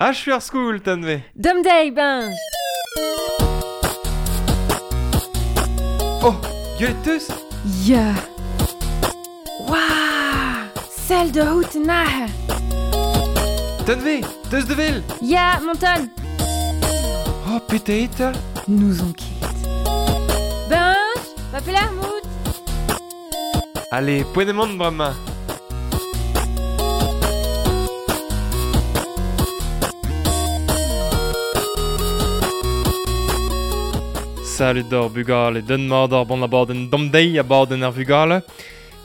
Achu ar skol, Tanve. Dom deiz, Benj. Oh, gwelet teus? Ya. Waouh! Sell da out aze. Tanve, teus da wel? Ya, Monton. Oh, petra eo 'ta? N'ouzon ket. Benj, va pelec'h 'mout? Ale, poent eo mont bremañ. Salud d'ar bugale, den mat ar bon abadenn damdeiz abadenn ar vugale.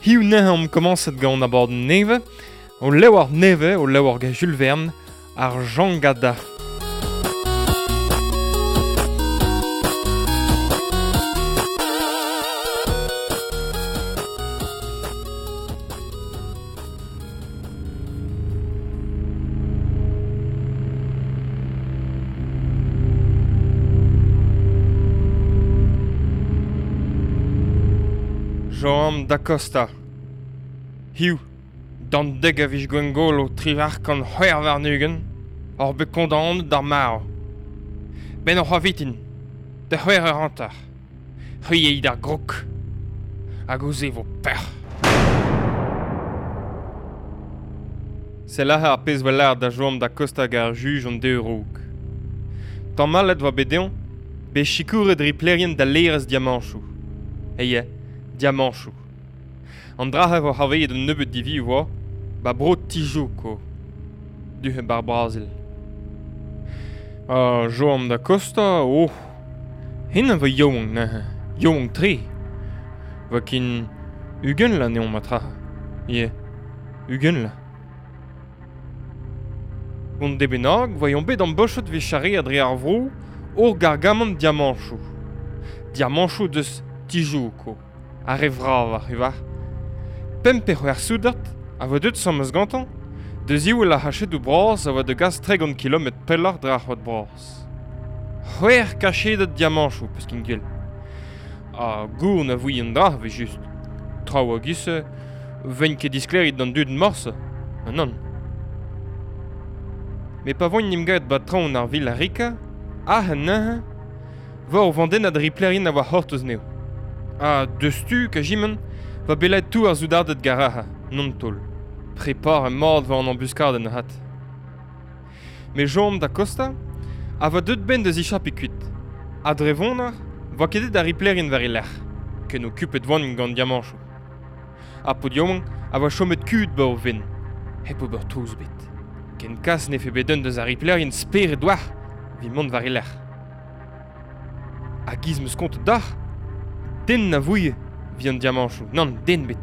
Hiziv neuze omp komañset gant abadenn nevez, o levr nevez, o levr gant Jules Verne, ar Jangada. Joan da Costa. Hiziv, d'an dek a viz Gwengolo 1826, oc'h bet kondaonet d'ar marv. Benn hoc'h avitin, da c'hwec'h eur hanter. C'hwi eo d'ar grog. Hag ouzh e vo pec'h. Sell aze ar pezh 'oa lâret da Joan da Costa gant ar juj an deiz a-raok. Tamallet 'oa bet dezhañ bet sikouret riplerien da laerezh diamañchoù. Eya, diamañchoù. An dra-se 'vo c'hoarvezet un nebeud divi 'oa 'ba bro Tijuco, du-hont 'bar Brazil. Ha Joan da Costa, oh, hen a vo yaouank neuze, yaouank-tre. 'Vo ken 20 vloaz anezhañ matra. Ya, 20 vloaz. Gant de bennak 'voe bet ambochet 'vit charreat dre ar vro ur gargamant diamañchoù. Diamañchoù deus Tijuco, ar re vravañ e oa. Pemp pe c'hwec'h soudard a voe deuet sammez gantañ da ziwall ar c'hachedoù bras a oa da gas 30 kilometr pelloc'h dre ar c'hoad bras. C'hwec'h kachedad diamañchoù, peus ken gwell. Ha gour na voe an dra evel-just. Traoù a-giz-se 'vent ket disklêriet d'an dud morse, nann. Met pa voent 'n em gavet 'ba traoñ ar Villa Rica, aze neuze, 'vo ur vandennad riplerien a oa c'hortoz anezho. Ha deus-tu, kajimant, 'va bet lakaet tout ar soudarded garaha, non taol. Preparañ mat 'vo an ambuskadenn avat. Met Joan da Costa a voa deuet 'benn da zichapiñ kuit. Ha dre vonner 'voa ket aet ar riplerien war e lerc'h, ken okupet 'voant gant diamañchoù. Ar paotr yaouank a oa chomet kuzhet 'ba o fenn, hep ober trouz ebet. Ken kas 'nefe bet un deus ar riplerien spered 'oac'h evit mont war e lerc'h. Ha 'giz 'm eus kontet deoc'h, den na vouie 'vit an diamañchoù, nann, den ebet.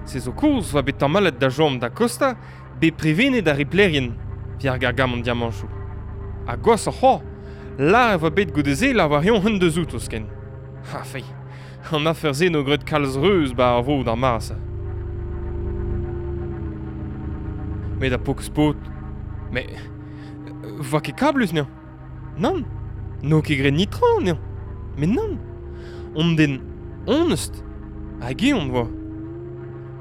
Se zo kaoz 'oa bet tamallet da Joan da Costa bet prevenet ar riplerien evit ar gargamant diamañchoù. Ha gwashoc'h c'hoazh, lâret e oa bet goude-se lavar-eñ un deus outo zoken. Ha feiz, an afer-se 'no graet kalz reuz 'ba ar vro d'ar mare-se. Met ar paourkaezh paotr, met 'voa ket kablus anezhañ. Nann, n'eo ket graet netra anezhañ. Met nann, on den onest hag eñ on 'oa.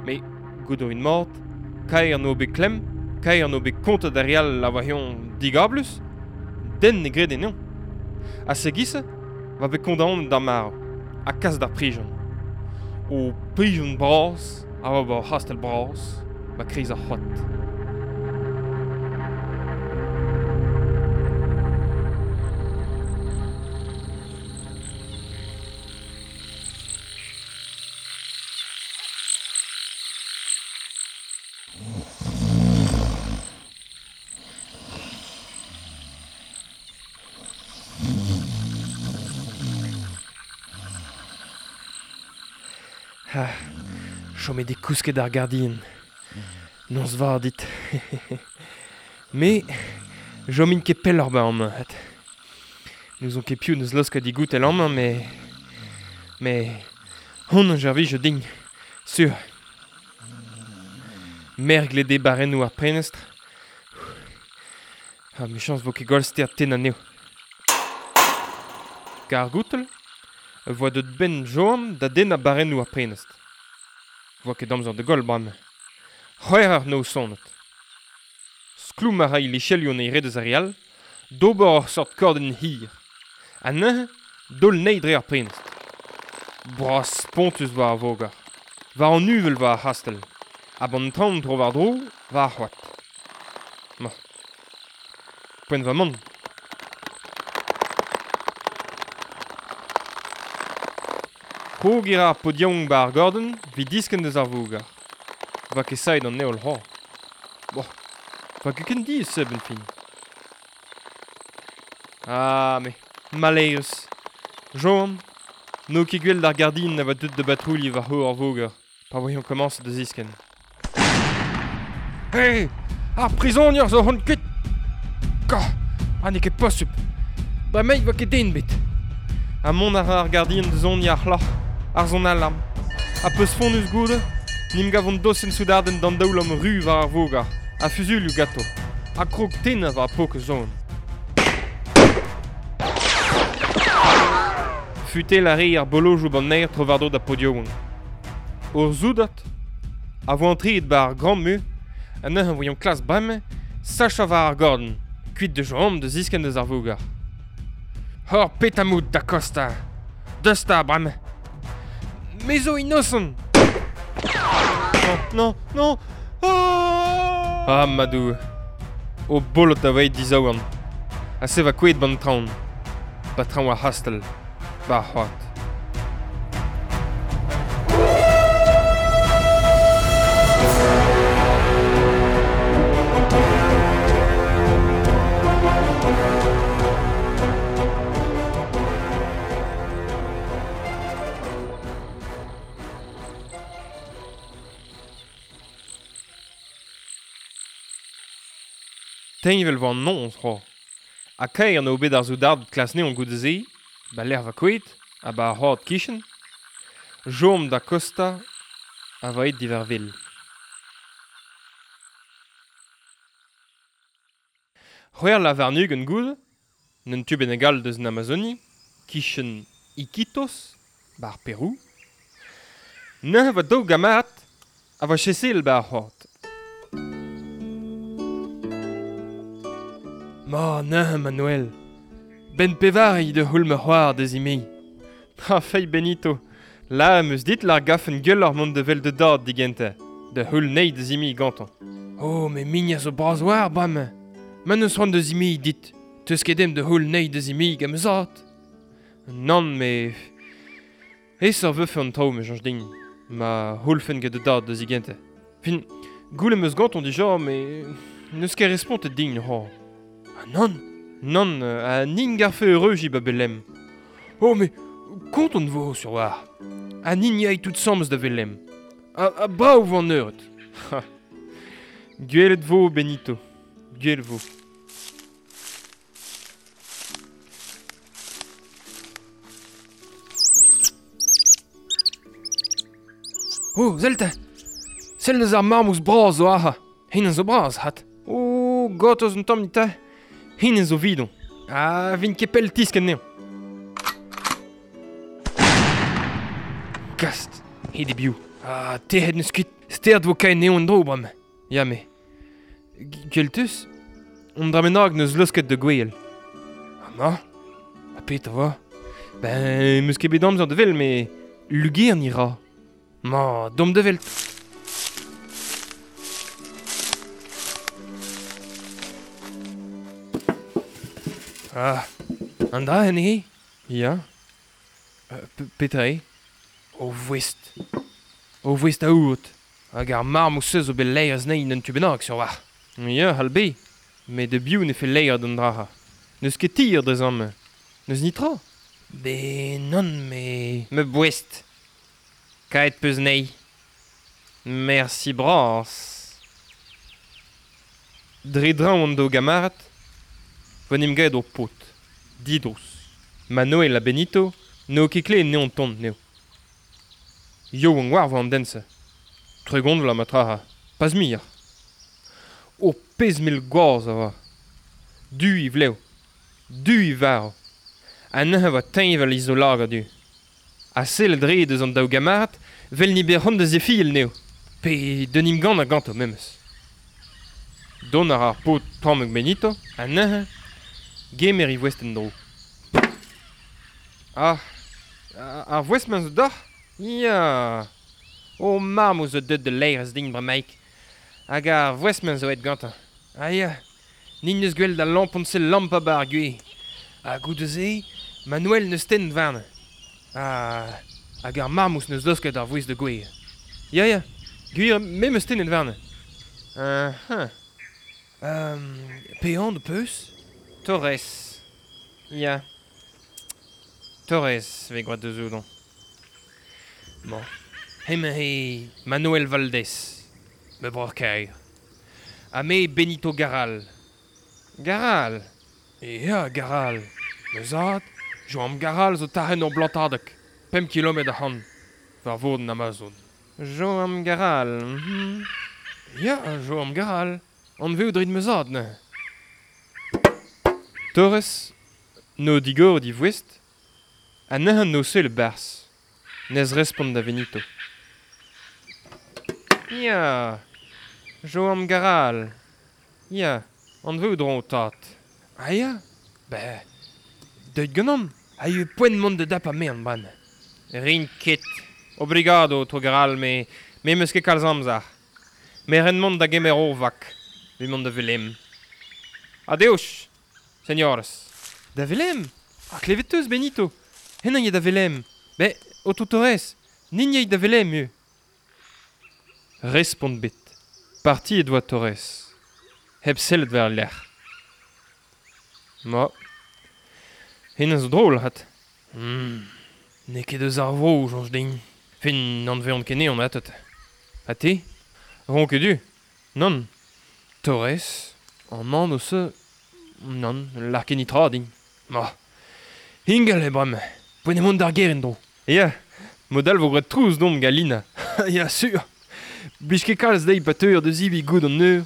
Met Goût a rin mat, kaer n'eo bet klemm, kaer n'eo bet kontet d'ar re all a oa eñ digablus, den ne grede anezhañ. Ha se-giz-se 'oa bet kondaonet d'ar marv ha kas d'ar prizon. O prizon bras a oa 'ba ur c'hastell bras 'ba kreiz ar c'hoad. Ha chomet eo kousket ar gardien. Noz vat dit. Me, 'chomin ket pelloc'h 'ba amañ 'vat. N'ouzon ket piv 'neus laosket he goutell amañ met... met hon a servijo din, sur. Merglet eo barrennoù ar prenestr. Ha 'michañs 'vo ket gwall stert tennañ anezho. Kar goutell e voa deut 'benn Joan da dennañ barrennoù ar prenestr. 'Voa ket amzer da goll bremañ. C'hwec'h eur noz sonet. Skloum a ray lechelioù an eil re deus ar re all, d'ober ur seurt kordenn hir. Ha neuze, daol anezhi dre ar prenestr. Bras spontus war ar voger. War an uvel war ar c'hastell. Ha ban traoñ tro-war-dro war ar c'hoad. Ma. Poent va mont. Krog e ra ar paotr yaouank 'ba ar gordenn 'vit diskenn deus ar voger. Va ket saet an heol c'hoazh. Boh, va ket ken diaes se 'benn fin. Ah, me, maleürus. Joan, n'eo ket gwell d'ar gardin a oa deuet da batrouilhiñ war-c'horre ar voger pa voe komañset da ziskenn. Hey, ar prizonier zo hon kuit! Gah, ha n'eo ket posupl. Bremaik 'vo ket den ebet. Ha mont a ra ar gardien da soniñ ar c'hloc'h, ar son alarm. Ha peus fonnus goude, n'em gavont dosenn soudardenn d'an daoulamm ru war ar voger, ha fuzuilhoù ganto, ha krog tennañ war paotr zon. Futel a rae ar bolojoù banner tro-war-dro da paotr Ur soudard a vo antreet 'ba ar gambr ha neuze 'voiomp klask bremañ sachañ war ar gordenn, kuit da chom da ziskenn deus ar voger. Hor petamout da Costa! Deus 'ta bremañ! Me zo inosant! Non, non, non! Ah, ma Doue! O bolod a oa dizaouarn. Ha se va kouezhet 'ba'n traoñ. 'Ba traoñ ar c'hastell. 'Ba ar c'hoad. Teñval 'vo an noz c'hoazh. Ha kaer eo bet ar soudarded klas anezhañ goude-se, 'ba lec'h va kouezhet ha 'ba ar c'hoad 'kichen, chom da Costa a vo aet diwar wel. C'hwec'h lâr warn-ugent goude, un tu bennak all deus an Amazonie, 'kichen Iquitos, 'ba ar Perou. Neuze 'vo daou gamarad a vo chaseal 'ba ar c'hoad. Ma neuze Manuel, 'benn pevare he da c'houll ma c'hoar da zimeziñ. Ha feiz Benito, la em eus dit lâr gafen gwelloc'h mont da wel da dad digentañ, da c'houll anezhi da zimeziñ gantañ. Oh, me mignon zo bras war bremañ. Ma n'eus c'hoant da zimeziñ dit, 'teus ket ezhomm da c'houll anezhi da zimeziñ gant ma zad. Nann, met aesoc'h 'vefe an traoù, me soñj din, ma c'houllfen gant da dad da zigentañ. Fin, goulenn 'm eus gantañ dija, met n'eus ket respontet din c'hoazh. Ha nann, nann, ha nin garfe eureujiñ 'ba Belem. Oh, met kontant 'vo sur 'walc'h. Ha nin yay tout 'sames da Velem. Ha brav 'vo an eured. Gwelet 'vo, Benito, gwelet 'vo. Oh, sell 'ta! Sell deus ar marmouz bras zo aze. Hennezh zo bras, 'hat. Oh, gortoz un tamm 'ta. Hennezh zo 'vidon. Ha 'vin ket pell 'tiskenn anezhañ. Gast, aet eo biv. Ha tec'het 'neus kuit. Stert 'vo kaeet anezhañ en-dro bremañ. Ya, me. Gweltus, un dra bennak 'neus laosket da gouezhel. Amañ Ha petra 'vo Ben, 'meus ket bet amzer da wel, met lugerniñ 'ra. Ma, domp da welt. Ah, an dra eo Ya. Petra eo O voest. O voest aour. Hag ar marmouz-se zo bet laeret anezhi en un tu bennak sur 'walc'h. Ya, c'hall bet. Met da biv ne fell laeret an dra-se? N'eus ket tir dre amañ. N'eus netra. Ben nann, me... Ma boest. Kaet 'peus anezhi. Mersi bras. Dre draoñ an daou gamarad 'vo 'n em gaet ur paotr, didrouz. Manoel ha Benito n'eo ket klevet anezhañ tont anezho. Yaouank 'oar 'vo an den-se. 30 vloaz ma-tra, pas muioc'h. Ur pezh mell gwaz a oa. Du e vlev, du e varv. Ha neuze 'oa teñval e zaoulagad du. Ha sellet 'rae deus an daou gamarad 'vel n'eo bet c'hoant da zefiel anezho, pe d'un emgannañ ganto memes. Dont a ra ar paotr tammig Benito, ha neuze, gemer e voest en-dro. Ah, ar voest-mañ zo deoc'h? Ya. O mamm zo deuet da laerezh din bremaik. Hag ar voest-mañ zo aet gantañ. Ah ya, nin neus gwellet al lampon-se lampañ 'ba ar gwez. Ha goude-se, Manuel neus tennet warnañ. Ha, hag ar marmouz neus laosket ar voest da gouezhañ. Ya, ya, gwir, me 'meus tennet warnañ. Uh-huh. Pe anv 'peus? Torres. Ya. Torres 'vez gwraet deus oudañ. Bon. Hemañ eo Manuel Valdez, ma breur-kaer. Ha me Benito Garal. Garal? Ya, Garal. Ma zad, Joam Garal zo tachenn ur blantadeg, 5 kilometr ac'hann, war vord an Amazon. Joam Garal, mhm. Ya, Joam Garal. Anveout 'rit ma zad neuze. Torres, 'no digoret e voest, ha neuze 'no seul e-barzh. Nes respont da Venito. Ya, Joam Garal. Ya, anveout 'ran ho tad. Ah ya, ben, deuit ganeomp, ha eo poent mont da dapañ merenn bremañ. Rin ket. Obrigado, aotrou Garal, me me 'meus ket kalz amzer. Me 'ren mont da gemer ur vak, evit mont da Velem. Adeus, señores. Da Velem? Ha klevet 'teus, Benito? Hennañ eo da Velem. Bet, aotrou Torres, nin yay da Velem eo. Respont bet. Partiet 'oa Torres. Hep sellet war e lerc'h. Ma. Hennezh zo drol 'vat. N'eo ket eus ar vro, soñj din. Fin, n'anveont ket anezhañ atat. Ha te? Ron ket du? Nann. Torres, an anv-se, nann, lâr ket netra din. Ma. Ingal eo bremañ. Poent eo mont d'ar gêr en-dro. Ya, mod-all 'vo graet trouz deomp gant Lina. Ya, sur. Blij ket kalz dezhi pa teuer da zebriñ goût an eur.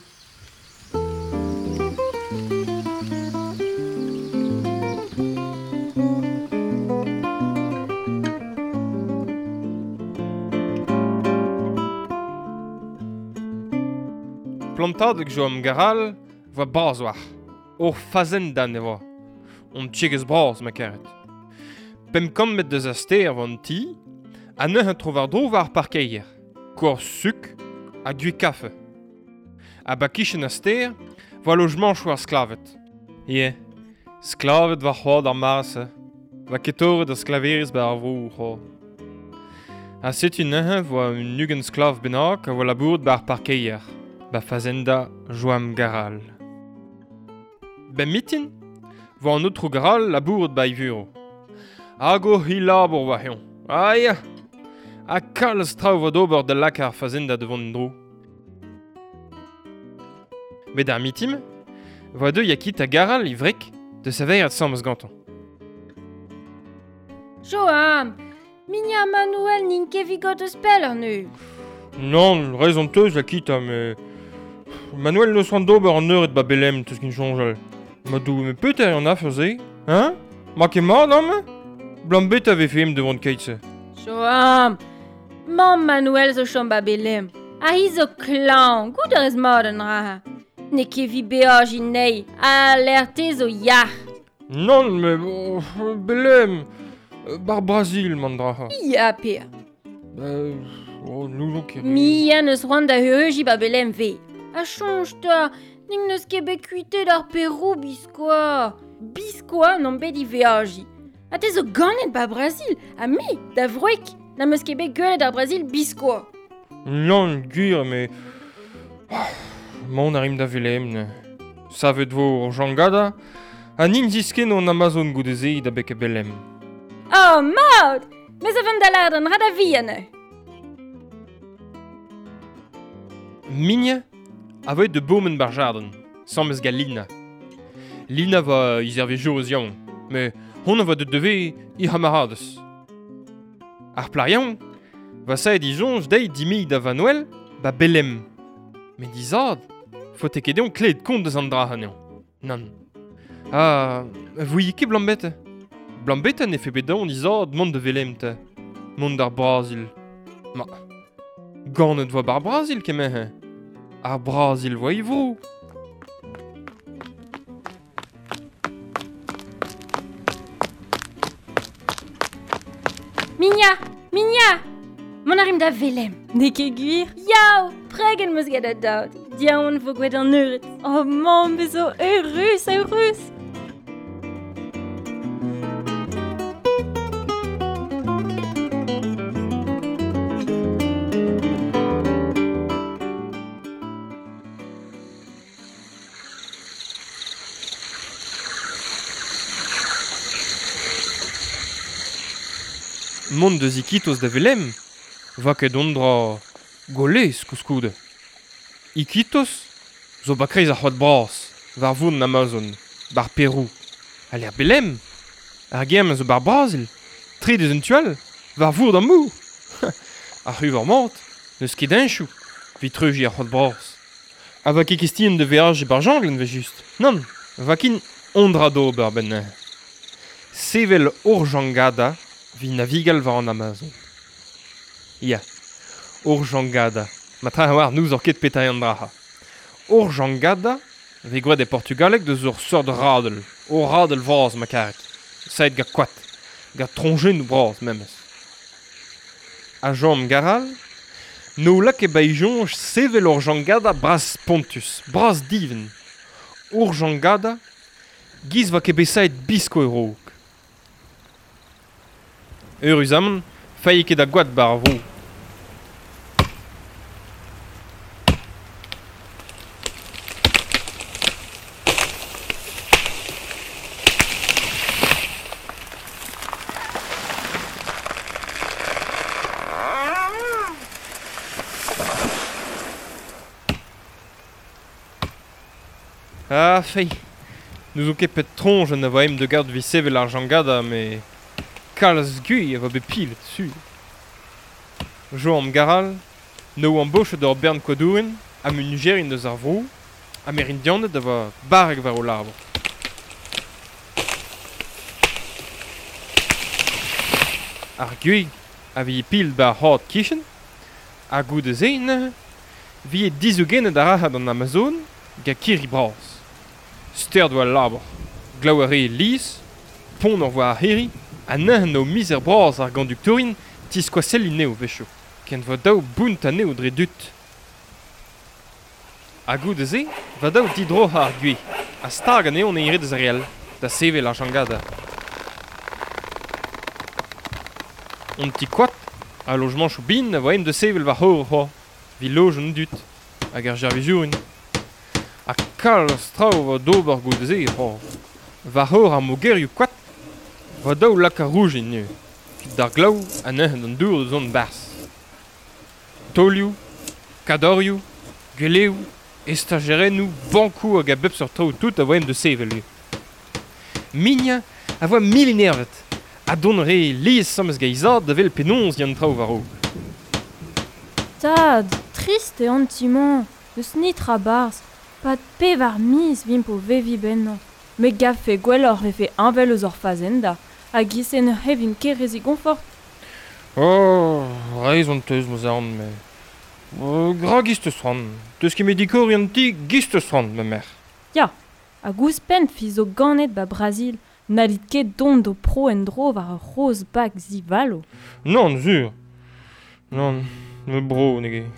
Plantadeg Joam Garal 'voa bras 'oac'h. Ur fazenda ne oa. Hon tiegezh bras, ma karet. 500 metr deus ar stêr 'voa an ti, ha neuze tro-war-dro war ar parkeier. Korz suk ha gwez kafe. Ha 'ba kichen ar stêr 'voa lojmañchoù ar sklaved. Ya, sklaved war c'hoad ar mare-se. 'Voa ket torret ar sklaverezh 'ba ar vro c'hoazh. Ha setu neuze 'voa un 20 sklav bennak a oa labouret 'ba ar parkeier, 'ba fazenda Joam Garal. 'Benn mitin 'voa an aotrou Garal labouret 'ba e vurev. Hag o c'hi-labour 'oa eñ. Ah ya! Ha kalz traoù 'vo d'ober da lakaat ar fazenda da vont en-dro. Met ar mitin 'voa deuet Yakita Garal e wreg da saverat asambles gantañ. Joam, Mignon Manuel n'int ket evit got eus pell anezho. Nann, rezon 'teus, Yakita, met Manuel n'eus c'hoant d'ober an eured 'ba Belem, 'teus ket soñjal. Ma Doue, met petra eo an afer-se, hein? Ma ket mat amañ? Blam bet a vefe em devant keit-se. Joam, mamm Manuel zo chom 'ba Belem. Ha hi zo klañv, goût a rez mat an dra. N'eo ket evit beajiñ anezhi, ha lec'h te zo yac'h. Nann, mais oh, Belem, bar Brazil, man dra. Ya, Per. Oh, n'ouzon ket. Mia n'eus c'hoant da eureujiñ 'ba Belem 've. Ha soñj 'ta, ning n'eus ket bet kuitaet ar Perou biskoazh. Biskoazh n'omp bet i veajiñ. Ha te zo ganet 'ba Brazil, ha me, da wreg, n'am eus ket bet gwelet ar Brazil biskoazh. Nann, gwir, mais... Mont a rimp da Velem. Savet vo ur jangada, ha nin ziskenno an Amazon goude-se da bek Belem. Oh, mat! Me zo vont da lâret an dra da vihan. Migne a voe de bourmen bar jardin, sames gant Lina. Lina va he servijourez yaouank, met hon a voa deut devez he c'hamaradez. Ar plac'h yaouank va saet he soñj dezhi dimiñ da Vanouel ba Belem. Met he zad, faote ket dezhañ klevet kont deus an dra anezhañ. Nann. Ha voe ket blambete. Blambete ne fe bet daon he zad mont da Velem 'ta. Mont d'ar Brazil. Ma, ganet 'voa bar Brazil kement-se. Ar Brazil 'voa e vro. Minia! Minia! Mont a rimp da Velem. N'eo ket gwir? Yaou! Pregen 'm eus get da dad. Diaon vo gwelet an eured. Oh mamm, me zo eurus, eurus! Mont deus Iquitos da Velem, va ket on dra golez koulskoude. Iquitos zo ba kreiz ar c'hoad bras, war voun an Amazon, bar Perou. Ha lec'h Belem, ar gem a zo bar Brazil, tre deus un tu all, war vourd an mor. Ar c'huvor mat, n'eus ket heñchoù, evit treujiñ ar c'hoad bras. Ha va ket kestien da veajiñ bar janglenn evel-just. Nann, va kin on dra d'ober benn neuze. Sevel ur jangada evit navigal war an Amazon. Ya, ur jangada. Ma tra a oar n'ouzoc'h ket petra eo an dra-ha. Ur jangada vez gwraet e portugaleg deus ur seurt radell, ur radell vras ma karet. Saet gant koad, gant troñjennoù bras memes. Ha Jean Garal, n'o lakaet ba e soñj sevel ur jangada bras-spontus, bras-divent. Ur jangada, giz 'oa ket bet saet biskoazh a-raok. Eüruzamant, failh ket a goad 'ba ar vro. Ah, feiz, n'ouzon ket pet troñjenn a vo aet da gaout evit sevel ar jangada, met kalz gwir a vo bet pilet, sur. Joam Garal, n'o ambochet ur bern koadourien ha munujerien eus ar vro, Amerindianed a oa barrek war o labour. Ar gwez a vije pil 'ba ar c'had kichen, ha goude-se neuze 'vije dizougennet ar an Amazon gant kirri bras. Stert 'oa al labour, glav a rae lies, pont 'oa ar c'hirri, ha neuze 'no mizer bras ar gonduktourien tiskoaselliñ anezho a-wechoù, ken 'vo dav bountañ anezho dre dud. Ha goude-se 'va dav didroc'hañ ar gwez ha stag anezho an eil deus ar re all da sevel ar jangada. An ti koad ha lojamanchoù bihan a vo aet da sevel war-c'horre c'hoazh evit lojañ an dud hag ar servijourien. Ha kalz traoù a vo d'ober goude-se c'hoazh. War-c'horre ar mogerioù koad 'vo dav lakaat rougenn neuze evit d'ar glav ha neuze d'an dour da zont 'barzh. Taolioù, kadorioù, gweleoù, estajerennoù, bankoù hag a bep seurt traoù tout a vo aet da sevel ivez. Mignañ a voa mil-enervet ha dont a rae lies asambles gant he zad da wel penaos 'ya an traoù war-raok. Tad, trist eo an ti-mañ, n'eus netra 'barzh. 'Pad pevar miz 'vimp o veviñ bennañ. Me 'gavfe gwelloc'h 'vefe heñvel eus hor fazenda, hag e-se ne c'hevimp ket re zigonfort. Oh, reizh on teus ma zorn, met gra giz 'teus c'hoant. 'Teus ket met dikoriñ an ti, giz 'teus c'hoant, ma merc'h. Ya, hag ouzhpenn fi zo ganet 'ba Brazil, n'hallit ket dont d'ho pro en-dro war ur c'hozh bag zivalo. Nann, sur. Nann, ma bro n'eo ket.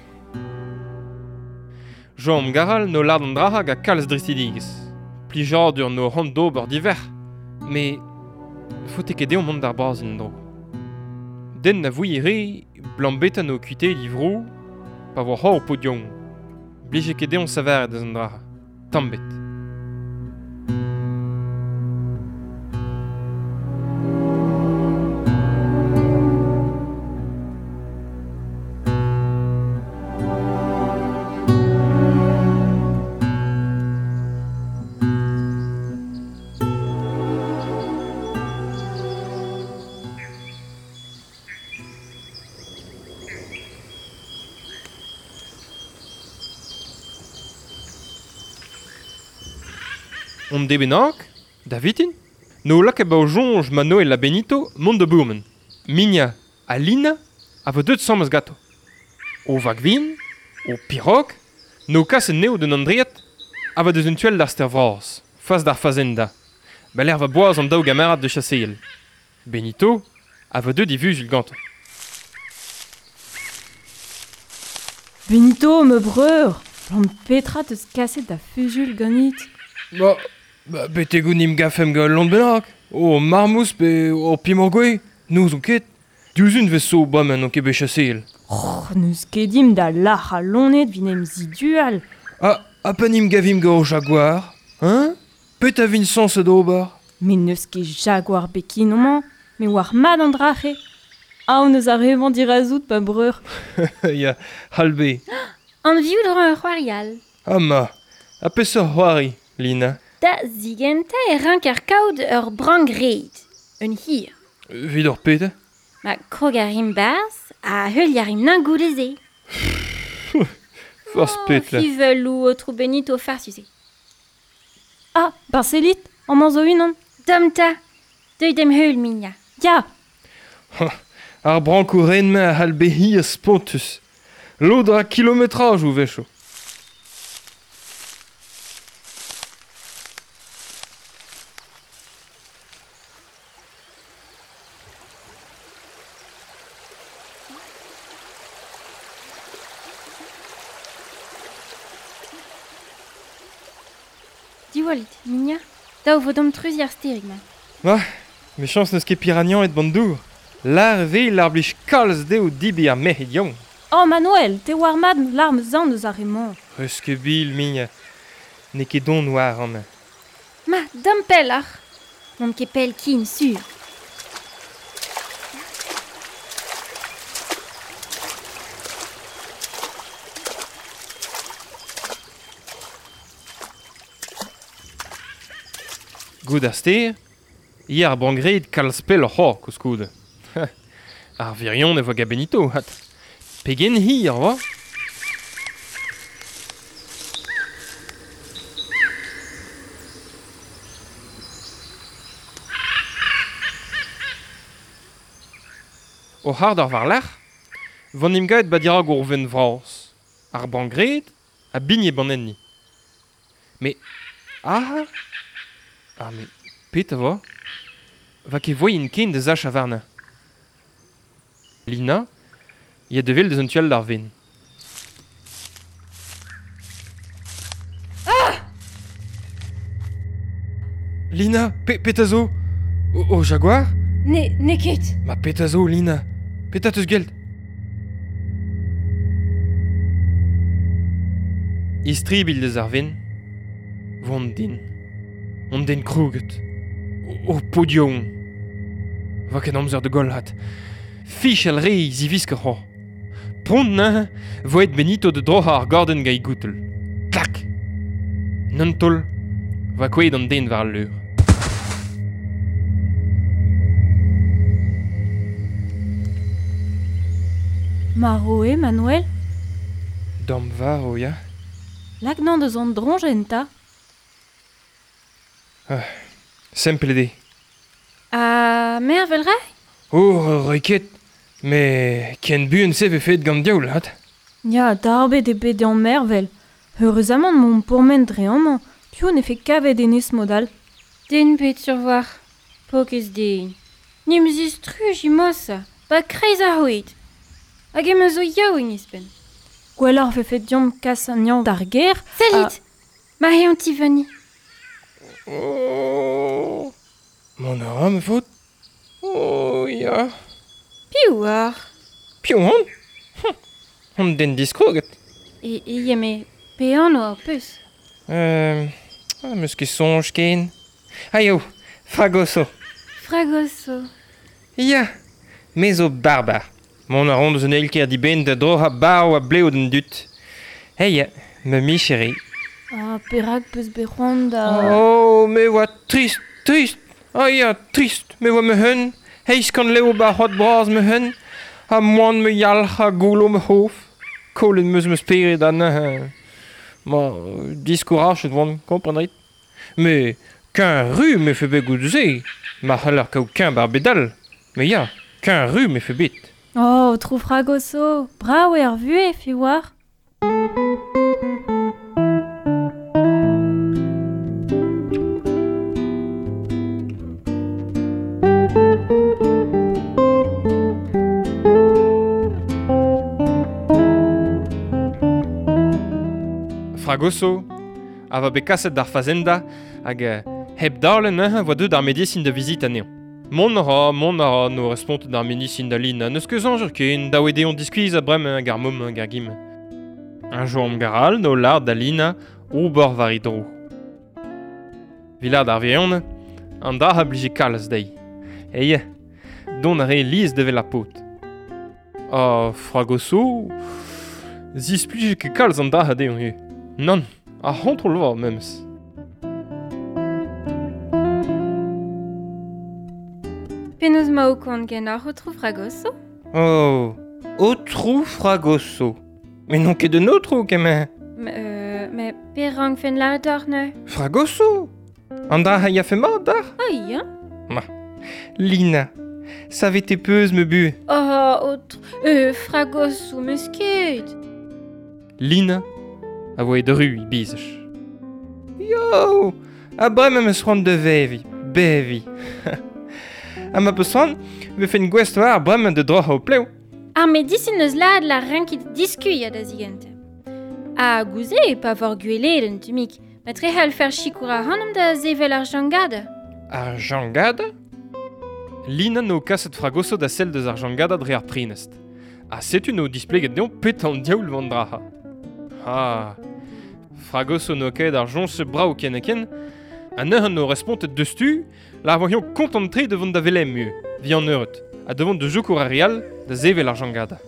Jean Garal 'no lâret an dra hag a kalz dristidigezh. Plijadur 'no c'hoant d'ober divec'h, met faote ket dezhañ mont d'ar Brazil en-dro. Den na vouie re 'blam petra 'no kuitaet e vro pa vo c'hoazh paotr yaouank. Blije ket dezhañ savaret eus an dra tamm ebet. On de bennak, da vitin, n'o lakaet ba o soñj Manoel ha Benito mont da bourmen. Minia ha Lina a vo deuet asambles ganto. O vag vihan, o pirog, n'o kas anezho d'un Andread a vo deus un tu all d'ar stêr vras, fas d'ar fazenda. Ba lec'h va boaz an daou gamarad da chaseal. Benito A vo deut e vuzul gantañ. Benito, me breur, Blam petra teus kaset da fuzul ganit? Ba, betegout nim gafem gant lont bennak. O marmouz pe o pimorgwe, n'ouzon ket. Diouzhun vez so bremañ n'on ket bet chaseel. Oh, n'eus ket dimp da lac'h a lonet vin em zidual. Ha pa nim gavimp gant o jaguar, hein? Pet a vin sañset d'ober? Mais n'eus ket jaguar bekin amañ, me war mat an drache. Aon eus ar revañ dirazout, pa breur. Ya, halbe. Anviout ur c'hoari all. Ah ma, ha peseurt c'hoari, Lina? Da zigentañ e ranker kaout ur brank-red, un hir. Evit ur pet? Ma krog a rimp barzh ha heuliañ a rimp nañ goude-se. Forzh pet, là. Fiveloù, aotrou Benito farsus eo. Ah, Barcelit, amañ zo unan. Dom 'ta, deuit d'em heul, Migna. Ya. Ar brankoù-ren-mañ a c'hall bezañ hir spontus. Lod a ra kilometrajoù a-wechoù. Diwallit, Migna, dav vo deomp treuziñ ar stêrig-mañ. Ma, mechañs n'eus ket piragnañed ban dour. Lâr e vez ar blij kalz dezho debriñ ar merc'hed yaouank. Oh Manuel, te oar mat l'arm zan eus ar re-mañ. Eus ket bil, Migna. N'eo ket don war amañ. Ma, deomp pelloc'h. N'omp ket pell ken, sur. Gout ar stêr, ya ar brangred kalz pelloc'h c'hoazh koulskoude. Ar virion e voa gant Benito, hat. Pegen hir 'oa? O c'hard eur war-lerc'h, 'vo 'n em gavet ba dirak ur venn vras. Ar brangred a bigne ban enni. Met aze? Ah met petra 'vo? Va ket voaien ken da sachañ warnañ. Lina, ya da wel deus an tu all d'ar venn. Lina, pe petra zo? O, o jaguar? Ne, n'eo ket. Ma petra zo, Lina? Petra 'teus gwel't? Istribilh deus ar venn. Vont din. On den krouget. O, o podion. Va ket amzer da goll hat. Fichal re zivisk c'hoazh. Pront neuze, vo aet Benito da droc'hañ ar gordenn gant e goutel. Klak! N'un taol, va kouezhet an den war al leur. Marv eo, Manuel? Dam varv, ya. Lak 'nañ deus an droñjenn 'ta. Sempl eo. Ha mervel 'ray? Oh, 'ray ket. Met ken buan-se 'vefe aet gant diaoul, 'vat. Ya, darbet eo bet dezhañ mervel. Eüruzamant m'omp pourmen dre amañ, piv 'nefe kavet hennezh mod-all? Den bet sur war. Paourkaezh den. N'em zistruj emañ 'ba kreiz ar c'hoed. Hag em eus zo yaouank ouzhpenn. Gwelloc'h 'vefe deomp kas anezhañ d'ar gêr. Sellit! Ma eo an Tiffany. Oh, mont a ra ma faotr. Oh ya. Piv oar? Piv on? On den diskroget. E, e me pe anv ho peus? 'Meus ket soñj ken. Ah eo, Fragoso. Fragoso. Ya, me zo barbar. Mont a ran deus un eil-kêr dibenn da droc'hañ barv ha blev d'an dud. Hey ya, ma micher eo. Ah, perak 'peus bet c'hoant da... Oh, me oa trist, trist. Ah ya, trist. Me oa ma-un. Eizh kant lev 'ba c'hoad bras ma-un. Ha moan ma yalc'h ha goullo ma c'hof. Kollet 'm eus ma spered ha neuze... Ma, diskourachet 'oan, kompren 'rit. Me, keñ ru 'mefe bet goude-se. Ma c'haller kaout keñ 'bar bed all. Me ya, keñ ru 'mefe bet. Oh, aotrou Fragoso, brav eo ar vuhez, fi oar. Fragoso a va bet kaset d'ar fazenda hag hep dale neuze voa deuet ar medisin da vizit anezhañ. Mont a ra, no respont d'ar medisin da Lina, n'eus ket soñj ken, dav eo dezhañ diskuizhañ bremañ hag ar mom hag ar gim. Un joam garal no lard da Lina ober war e dro. Vilad ar virion, an da a blije kalz dezhi. Eie, dont a re liz devel ar paotr. Ha Fragoso, zisplije ket kalz an da dezhañ ivez. Nann, ar c'hontrol vo memes. Penaos ma ho kont ganeoc'h, Aotrou Fragoso? Oh, Aotrou Fragoso. Mais n'on ket un aotrou, kement. Mais perak fenn lâret deoc'h neuze? Fragoso? An dra a yafe mat dac'h? Ah ya. Ma, Lina, savet e peus me bu. Oh, aotrou, Fragoso, meus ket. Lina a voe dru e bizaj. Yo, ha bremañ 'm eus c'hoant da veviñ, beviñ. Ha ma peus c'hoant, vefen gouest war bremañ da droc'hañ ho plev. Ar medisin eus lâret la renkit diskuilhañ da zigentañ. Ha gouze, pa vor gwelet un tammig, ma trec'hallfer sikour ac'hanomp da sevel ar jangada. Ar jangada? Lina n'eo kaset Fragoso da sell deus ar jangada dre ar prenest. Ha setu n'eo displeget dezhañ petra an diaoul van dra. Ha, Fragoso n'eo ket ar joñs brav ken ha ken, ha neuze n'eo respontet deus-tu, la voion kontant-tre da vont da Velem ivez, vi an eured, ha da vont da sikour ar re all da sevel ar jangada.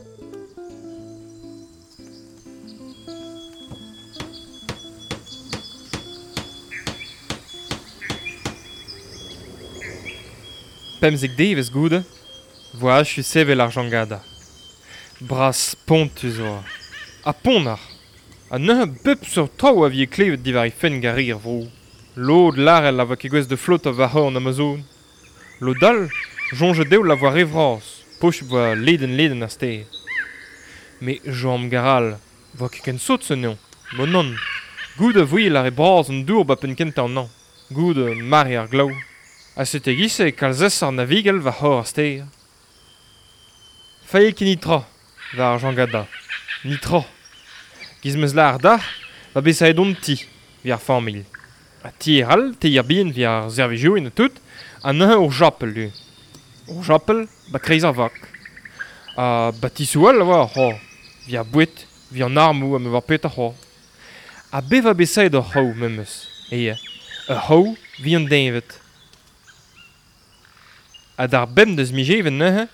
Pemzek devezh goude, voa achu sevel ar jangada. Bras spontus oa. Ha ponnar. Ha neuze bep seurt traoù a vije klevet diwar he fenn gant re ar vro. Lod lârel a voa ket gouest da flotañ war c'horn Amazon. Lod all, soñjet dezho la voa re vras, posupl voa ledenn-ledenn ar stêr. Met Joam Garal, voa ket ken sot se anezhañ. Bon nann, goude a voe lâret bras an dour ba penn kentañ an hañv. Goude mare ar glav. Ha setu e-giz-se kalz aesoc'h navigell war c'horr ar stêr. Fae ket netra war ar jangada. Netra. Giz 'm eus lâret dac'h, va bet savet hon ti, evit ar familh. Ha tier all, tier bihan evit ar servijourien ha tout, ha neuze ur japel ivez. Ur japel ba kreiz ar vag. Ha batisoù all a oa c'hoazh, evit ar boued, evit an armoù ha me oar petra c'hoazh. Ha bevañ bet savet ur c'hraou memes, eo, ur c'hraou evit an deñved. Ha d'ar bemp deus miz Even neuze,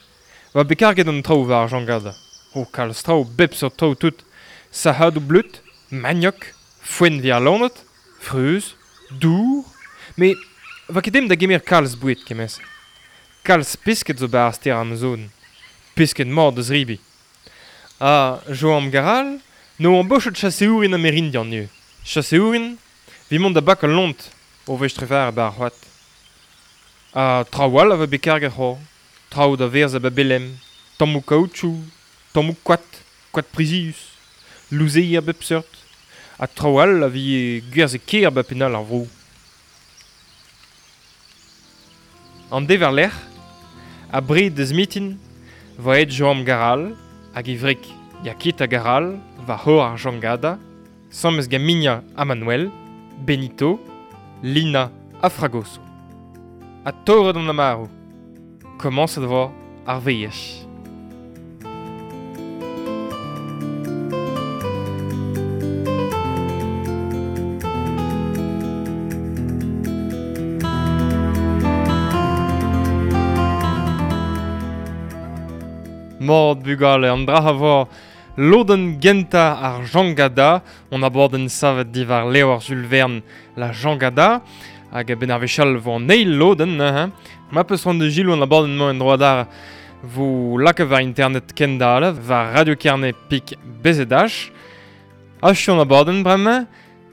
oa bet karget an traoù war ar jangada. O kalz traoù, bep seurt traoù tout. Sac'hadoù bleud, maniok, foenn evit ar loened, freuz, dour. Met va ket dimp da gemer kalz boued kement-se. Kalz pesked zo 'ba ar stêr Amazon. Pesked mat da zebriñ. Ha Joam Garal n'o embochet chaseourien amerindian ivez. Chaseourien evit mont da bakañ lont o wech trevaer 'ba ar c'hoad. Ha traoù all a vo bet karget c'hoazh. Traoù da werzhañ 'ba Belem, tammoù kaoutchou, tammoù koad, koad prizius, louzeier a bep seurt. Ha traoù all a vije gwerzhet ker 'ba penn all ar vro. An deiz war-lerc'h, abred deus mitin, 'vo aet Joam Garal hag e wreg Yakita Garal war c'horr ar Jangada, sammez gant Migna ha Manuel, Benito, Lina ha Fragoso. Ha torret an amaroù. Komañset 'vo ar veaj. Mat bugale, an dra a vo lodenn gentañ ar Jangada, on abadenn savet diwar levr Jules Verne, la Jangada, hag a-benn ar wech all vo an eil lodenn neuze. Ma peus c'hoant da selaou an abadenn-mañ en-dro adarre vo lakaet war internet kendal, war Radio Kerne pik BZH. Achu an abadenn bremañ,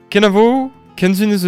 kenavo, ken sun eus.